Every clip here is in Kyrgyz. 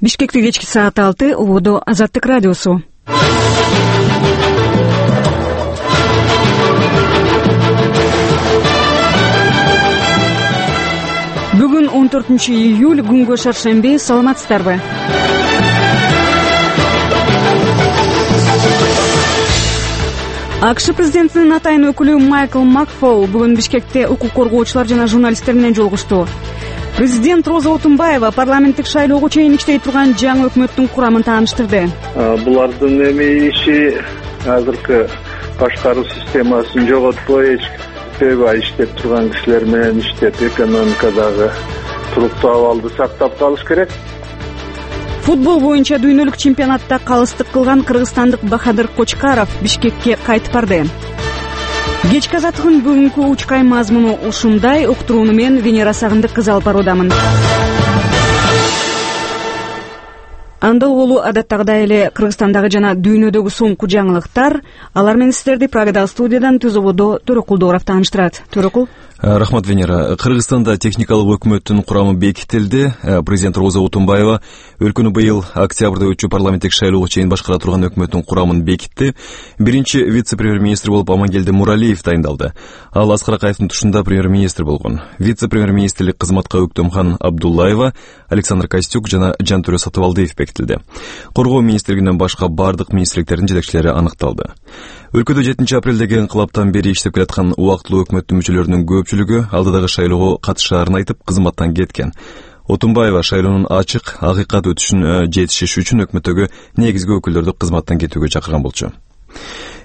Бишкекте кечки саат 6, убодо Азаттык радиосу. Бүгүн 14-июль, күнгө шаршемби. Саламатсыздарбы? АКШ президентинин атайын өкүлү Майкл Макфол бүгүн Бишкекте укук коргоочулар жана журналисттер менен жолугушту. Президент Роза Отунбаева парламенттик шайлоого чейин иштей турган жаңы өкмөттүн курамын тааныштырды. Булардын иши азыркы башкаруу системасын жоготпой, себеби иштеп турган кишилер менен иштеп, экономикадагы туруктуу абалды сактап калыш керек. Футбол боюнча дүйнөлүк чемпионатта калыстык кылган кыргызстандык Бахадыр Кочкаров Бишкекке кайтып барды. Кечки азаттыгын бүгүнкү учкай мазмуну ушундай. Уктурууну мен Венера Сагындык кызы алып баруудамын. Анда болу адаттагыдай эле Кыргызстандагы жана дүйнөдөгү соңку жаңылыктар. Алар менен сиздерди Прагадагы студиядан Түзөбодо Төрөкул Дооров тааныштырат. Төрөкул. Рахмат, Венера. Кыргызстанда техникалык өкмөттүн курамы бекитилди. Президент Роза Отунбаева өлкөнү быйыл октябрда өтчү парламенттик шайлоого чейин башкара турган өкмөттүн курамын бекитти. Биринчи вице-премьер-министр болуп Амангелди Муралиев дайындалды. Ал Аскар Акаевдин тушунда премьер-министр болгон. Вице-премьер-министрлик кызматка Өктөмкан Абдуллаева, Александр Костюк жана Жантөрө Сатыбалдиев бекитилди. Коргоо министрлигинен башка бардык министрликтердин жетекчилери аныкталды. Өлкөдө 7 апрелдеги инкылаптан бери иштеп келаткан убактылуу өкмөттүн мүчөлөрүнүн көпчүлүгү алдыдагы шайлоого катышаарын айтып кызматтан кеткен. Отунбаева шайлоонун ачык, акыйкат өтүшүн жетишиш үчүн өкмөттөгү негизги өкүлдөрдү кызматтан кетүүгө чакырган болчу.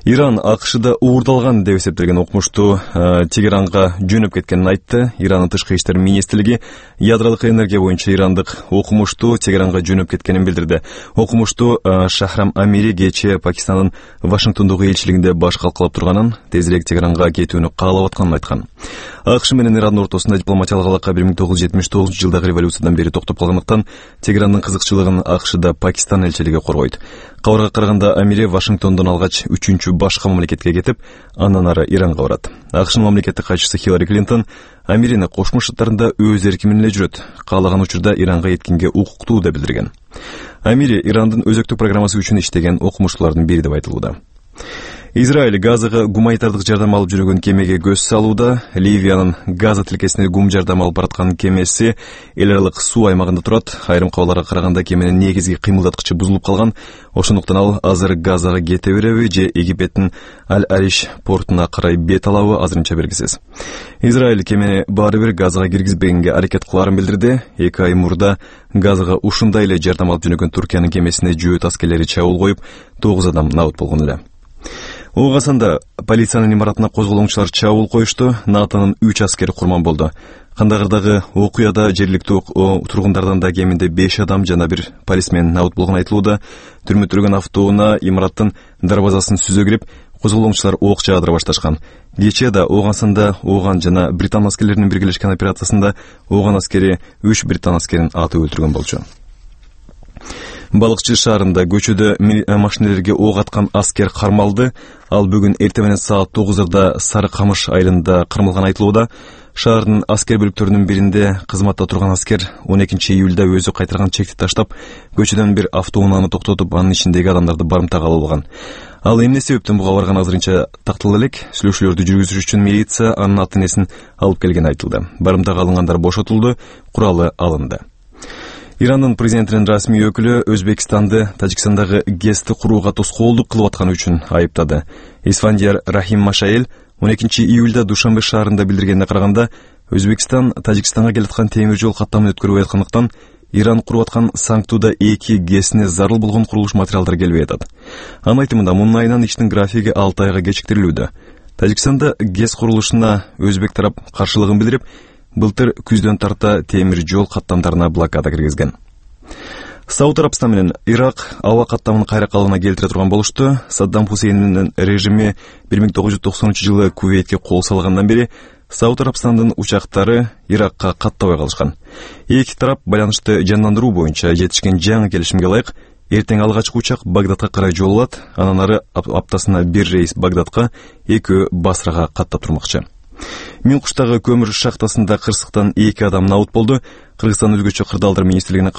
Иран АКШда уурдалган деп эсептелген окумушту Тегеранга жөнөп кеткенин айтты. Ирандын тышкы иштер министрлиги ядролук энергия боюнча ирандык окумушту Тегеранга жөнөп кеткенин билдирди. Окумушту Шахрам Амири кечээ Пакистандын Вашингтондогу элчилигинде баш калкалап турганын, тезирээк Тегеранга кетүүнү каалап атканын айткан. АКШ менен Ирандын ортосунда дипломатиялык алака 1979-жылдагы революциядан бери токтоп калгандыктан Тегерандын кызыкчылыгын АКШда Пакистан элчилиги коргойт. Кабарга караганда Амири Вашингтондон алгач 3-чү башка мамлекетке кетип, андан ары Иранга барат. АКШнын мамлекеттик катчысы Хиллари Клинтон Амирини Кошмо Шаттарында өз эркинен эле жүрөт, каалаган учурда Иранга эткенге укуктуу деп билдирген. Амири Ирандын өзөктүк программасы үчүн иштеген окумуштуулардын бири деп айтылууда. Израиль Газага гуманитардык жардам алып жүргөн кемеге көз салууда. Ливиянын Газа тилкесине гум жардам алып бараткан кемеси эл аралык суу аймагында турат. Айрым кабарларга караганда кеменин негизги кыймылдаткычы бузулуп калган. Ошондуктан ал азыр Газага кете береби же Египеттин Аль-Ариш портуна карай бет алабы азырынча белгисиз. Израиль кемени баары бир Газага киргизбегенге аракет кылаарын билдирди. 2 ай мурда Газага ушундай эле жардам алып жүргөн Туркиянын кемесине жөөт аскерлери чабуул коюп, 9 адам набыт болгон эле. Оогасанда полициянын имаратына козголоңчулар чабуул коюшту. НАТОнун 3 аскери курман болду. Кандагырдагы окуяда жергиликтүү тургундардан да кеминде 5 адам жана бир полисмен набыт болгон айтылууда. Түрмөттөргөн автоунаа имараттын дарбазасын сүзө кирип, козголоңчулар ок жаадыра башташкан. Кечээ да Оогансында Ооган жана Британ аскерлеринин биргелешкен операциясында Ооган аскери 3 Британ аскерин атып өлтүргөн болчу. Балыкчы шаарында көчөдө машинелерге ок аткан аскер кармалды. Ал бүгүн эртең менен саат 9:00 Сары Камыш айылында кармалган айтылууда. Шаардын аскер бөлүктөрүнүн биринде кызматта турган аскер 12 июлда өзү кайтарган чекти таштап, көчөдөн бир автоунааны токтотуп, анын ичиндеги адамдарды барымтага алган. Ал эмне себептен буга барган азырынча такталып элек. Сүйлөшүүлөрдү жүргүзүш үчүн милиция анын ата-энесин алып келгени айтылды. Барымтага алынгандар бошотулду, куралы алынды. Ирандын президентинин расмий өкүлү Өзбекстанды Тажикстандагы ГЭСти курууга тоскоолдук кылып атканы үчүн айыптады. Исфандияр Рахим Машаил 12 июлда Душанбе шаарында билдиргенине караганда, Өзбекстан Тажикстанга келаткан темир жол каттамын өткөрбөй аткандыктан Иран куруп аткан Саңктуда 2 ГЭСине зарыл болгон курулуш материалдары келбей атат. Анын айтымында мунун айынан иштин графиги 6 айга кечиктирилүүдө. Тажикстанда ГЭС курулушуна өзбек тарап каршылыгын билдирип, былтыр күздөн тарта темир жол каттамдарына блокада киргизген. Сауд Арабстан менен Ирак аба каттамын кайра калыбына келтире турган болушту. Саддам Хусейндин режими 1990-жылы Кувейтке кол салгандан бери Сауд Арабстандын учактары Иракка каттабай калышкан. Эки тарап байланышты жандандыруу боюнча жетишкен жаңы келишимге ылайык эртең алгачкы учак Багдадка карай жол алат. Анан ары аптасына бир рейс Багдадка, экөө Басрага каттап турмакчы. Минкуштагы көмүр шахтасында кырсыктан 2 адам набыт болду. Кыргызстан өзгөчө кырдаалдар министрлигинин